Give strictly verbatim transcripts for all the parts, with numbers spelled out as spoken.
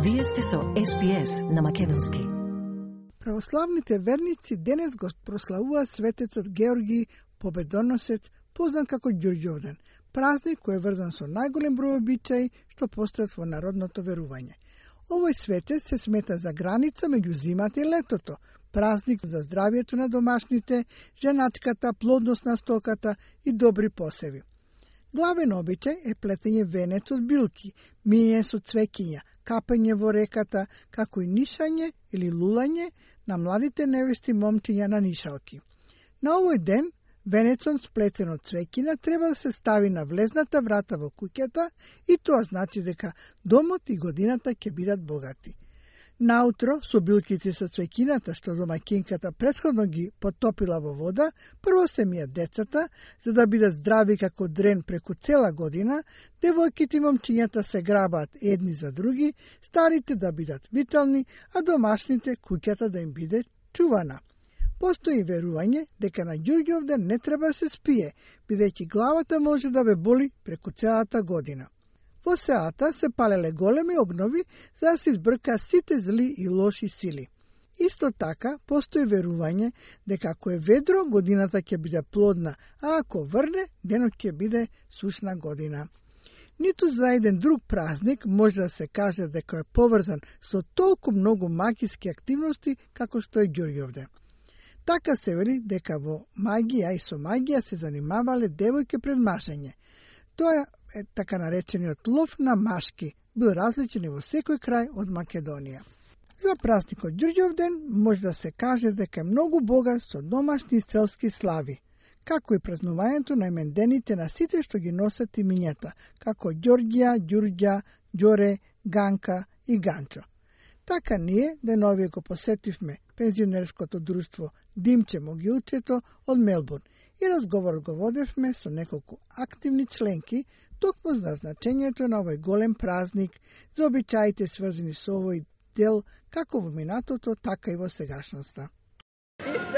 Вие сте со Ес Би Ес на македонски. Православните верници денес го прославуваат светецот Георги Победоносец, познат како Ѓурѓовден, празник кој е врзан со најголем број обичаи што постојат во народното верување. Овој светец се смета за граница меѓу зимата и летото, празник за здравието на домашните, женачката, плодност на стоката и добри посеви. Главен обичај е плетење венец од билки, мије со цвеќиња, капање во реката, како и нишање или лулање на младите невести момчиња на нишалки. На овој ден, венецот сплетен од цвеќина треба да се стави на влезната врата во куќата и тоа значи дека домот и годината ќе бидат богати. Наутро, со билките со цвеќината што домаќинката претходно ги потопила во вода, прво се мијат децата, за да бидат здрави како дрен преку цела година, девојките и момчињата се грабаат едни за други, старите да бидат витални, а домашните куќата да им биде чувана. Постои верување дека на Ѓурѓовден не треба да се спие, бидејќи главата може да ве боли преку целата година. Во сеата се палеле големи огнови за да се избрка сите зли и лоши сили. Исто така, постои верување дека ако е ведро, годината ќе биде плодна, а ако врне, денот ќе биде сушна година. Ниту за еден друг празник може да се каже дека е поврзан со толку многу магиски активности како што е Ѓурѓовден. Така се вели дека во магија и со магија се занимавале девојки пред машење. Тоа е така наречениот лов на машки, бил различен и во секој крај од Македонија. За празникот Ѓурѓовден може да се каже дека е многу богат со домашни и селски слави, како и празнувањето на имендените на сите што ги носат имињата, како Ѓорѓија, Ѓурѓа, Ѓоре, Ганка и Ганчо. Така ние деновие го посетивме пензионерското друштво Димче Могилчето од Мелбурн и разговор го водевме со неколку активни членки токму за значењето на овој голем празник, за обичаите сврзани со овој дел како во минатото, така и во сегашноста.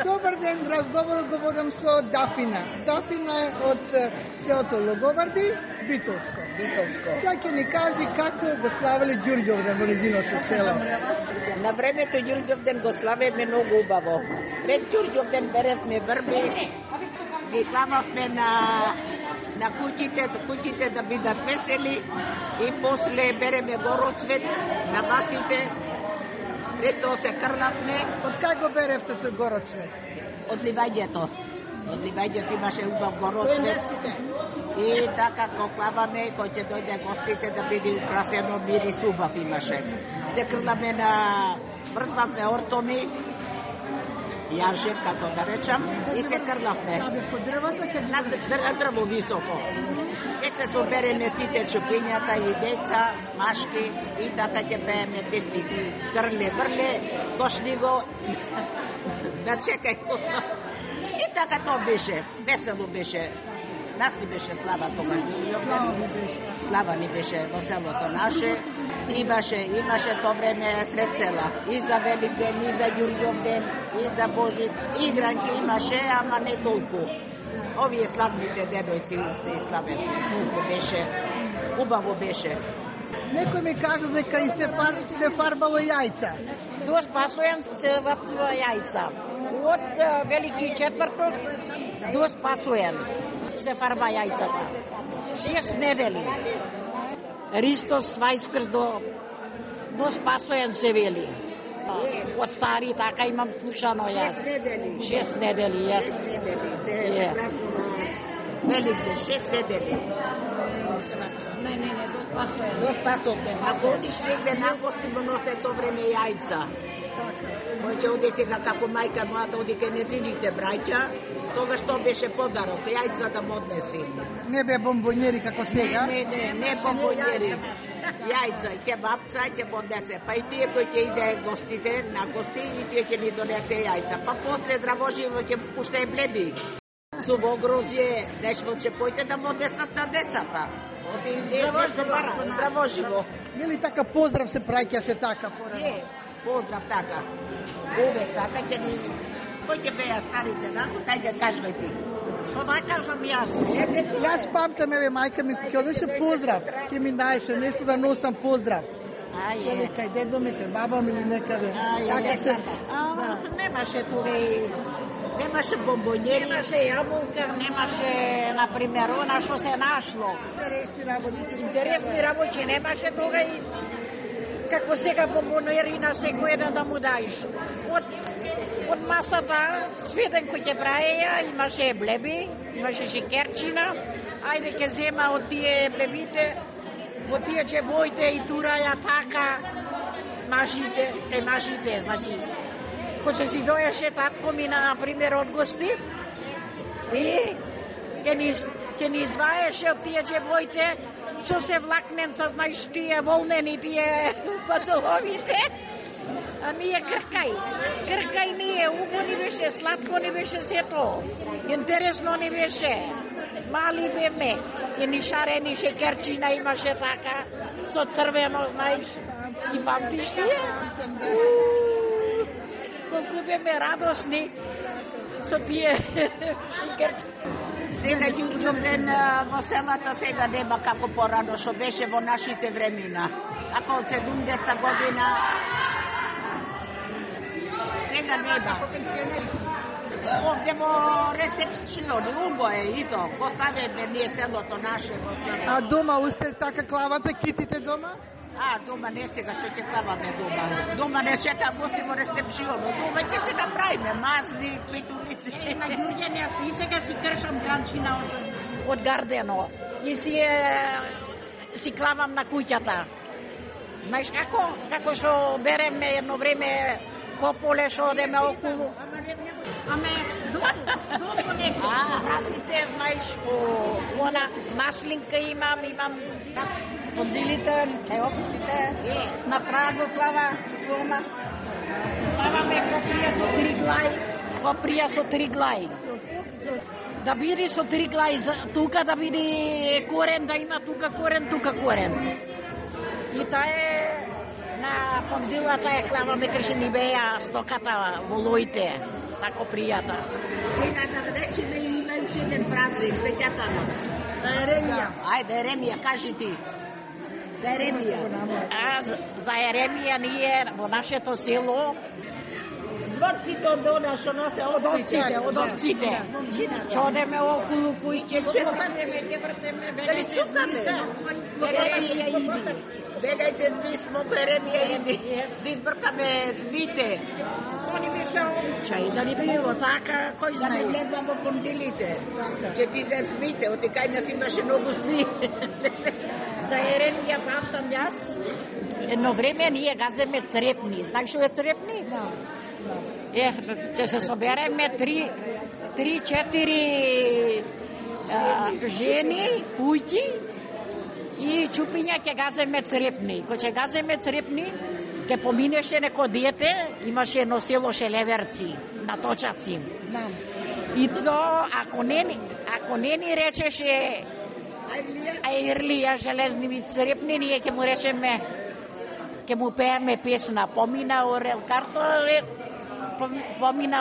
Добар ден, разговорот го водам со Дафина. Дафина е од селото Логоварди, Битолско. Битолско. Сега ќе ни кажи како го славеле Ѓурѓовден во незиното село. На времето Ѓурѓовден го славеме многу убаво. Пред Ѓурѓовден беревме врби, ги клававме на на куќите, куќите да бидат весели и после береме гороцвет на басите. Пред тоа се крлавме. Од кај го беревте тој гороцвет? Од ливаѓето. Од ливаѓето имаше убав гороцвет. И така ко клаваме, кој ќе дојде гостите да биде украсено, мирис убав имаше. Се крламе на врзвавме ортоми, јаже, како да речам, и се крлавме. Каде по дрвата ќе на дрво високо. Ќе се собереме сите чупињата и деца, машки и така ќе пееме песни. Крле, врле, кошни го, да чекај. И така тоа беше, весело беше. Нас ни беше слава тогаш. Слава ни беше во селото наше. Имаше, имаше тоа време сред села. И за Великден, и за Ѓурѓовден, и за Божик. Игранки имаше, ама не толку. Овие славните девојци сте славени. Толку беше. Убаво беше. Некој ми кажа дека и се, фар, се фарбало јајца. До Спасојан се вртува јајца. Од Велики четврток до Спасојан се фарба јајцата. Шест недели. Ристос Вајскрс до, до Спасојан се вели. Од стари така имам слушано јас. Шест недели. Шест недели, јас. Шест недели. Се празнува Великден, шест недели. Не, не, не, до Спасојан. До Спасојан. А ходиш негде на гости, го носе тоа време јајца. Кој ќе оди сега како мајка мојата оди ке незините браќа, тогаш тоа беше подарок, јајца да му однеси. Не бе бомбонјери како сега? Не, не, не бомбонјери. Јајца, ќе бабца, ќе поднесе. Па и тие кои ќе иде гостите, на гости, и тие ќе ни донесе јајца. Па после Дравоживо ќе пуште блеби. Суво грозје, нешто ќе појте да му однесат на децата. Оди Дравоживо. Дравоживо. Нели така поздрав се праќаше така порано? Не, поздрав така. Увек така ќе ни... Кој ќе беа старите, на? Кај кажувај ти. Што да кажам јас? Јас памтам, еве, мајка ми ќе одеше поздрав, ќе ми даеше нешто да носам поздрав. А, е. Дали кај дедо ми се, баба ми или некаде. А, е. Така се... А, Да. немаше тука и... Немаше бомбонери. Немаше јаболка, немаше, например, она што се нашло. Интересни работи. Интересни работи немаше тога и како сега бомбонери на секој еден да му даиш. Од, од масата сведен кој ќе праеја, имаше блеби, имаше шекерчина, ајде ќе зема од тие блебите, од тие чебоите и тураја така, машите, е машите, значи, кога си доеше татко ми, на пример, од гости, и ќе ни, ќе ни изваеше од тие чебоите, со се влакменца, знаеш, тие волнени, тие падоловите, а ние кркај, кркај ние, убо ни беше, сладко ни беше сето, интересно ни беше, мали беме, и ни шарени шекерчина имаше така, со црвено, знаеш, и памтиш тие? Колку беме радосни со тие шекерчина. Сега Ѓурѓовден во селата сега нема како порано што беше во нашите времена. Ако од седумдесета година сега нема. Овде во ресепциони, убо е и то. Поставиме ние селото наше во селото. А дома усте така клавате китите дома? А, дома не сега што ќе клаваме дома. Дома не чека гости во ресепционо. Дома ќе се направиме мазни, петуници. На Ѓурѓан јас и сега си кршам ганчина од, од гардено и си е, си клавам на куќата. Знаеш како? Како што береме едно време по поле што одеме околу. Аме, долу, долу некој. А, радите, знаеш, по она маслинка имам, имам Пондилите, е овците, на праго клава дома. Клаваме коприја со три глај, коприја со три глај. Да биде со три глај, тука да биде корен, да има тука корен, тука корен. И таа е на пондилата е клаваме кај ни беа стоката во лоите, на копријата. Сега да речеме има уште еден празник, сеќата нас. За Еремија. Ајде, Еремија, кажи ти. За Еремија. А за Еремија ние во нашето село Зворците од она што носе од овците, од овците. Ќе одеме околу кујке, ќе чукаме, ќе вртеме, Дали чукаме? Еремија иди. Бегајте змисмо, Еремија иди. Да избркаме змите. Они беше обичај, да ни било така, кој Да не знае. влезам во пондилите. Ќе ти се змите, оти кај нас имаше многу зми. За Еремија памтам јас, едно време ние газеме црепни. Знаеш што е црепни? Да. Е, ќе се собереме три, три, четири а, жени, кујки и чупиња ќе газеме црепни. Кога ќе газеме црепни, ќе поминеше неко дете, имаше едно село Шелеверци, на Точаци. Да. И то, ако не, ни- ако не ни речеше Ајрлија железни црепни, ние ќе му речеме, ќе му пееме песна. Помина Орел Карталес, помина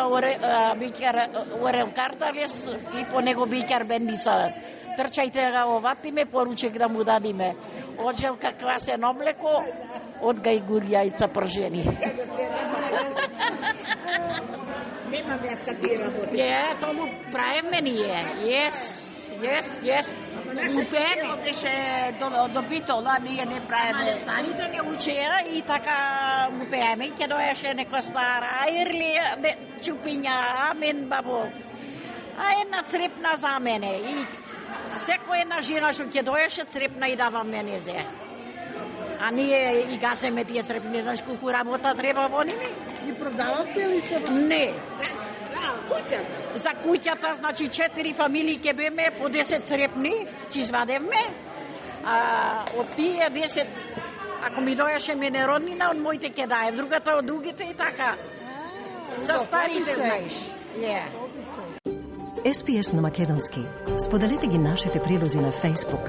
Бичар Орел Карталес и по него Бичар Бендиса. Трчајте ga оватиме, поручек да му дадиме. Оджел каква се номлеко, од гајгур јајца пржени. Нема места ти работи. Е, тому правиме ние. Јес, јес, јес. Му пееме. Беше до, до битола, ние не Ама правиме. старите не учеа и така му пееме и ќе доеше некоја стара Ајрлија, де, чупиња, амен бабо. А една црепна за мене и секоја една жена што ќе доеше црепна и дава мене зе. А ние и газеме тие црепни, знаеш колку работа треба во ними? И продавате ли се? Не. Да, куќа. За куќата, значи четири фамилии ќе беме по десет црепни, ќе извадевме. А од тие десет, ако ми доеше мене роднина, од моите ќе даем, другата од другите и така. За старите, знаеш. Е. Ес Пи Ес на македонски. Споделете ги нашите прилози на Facebook,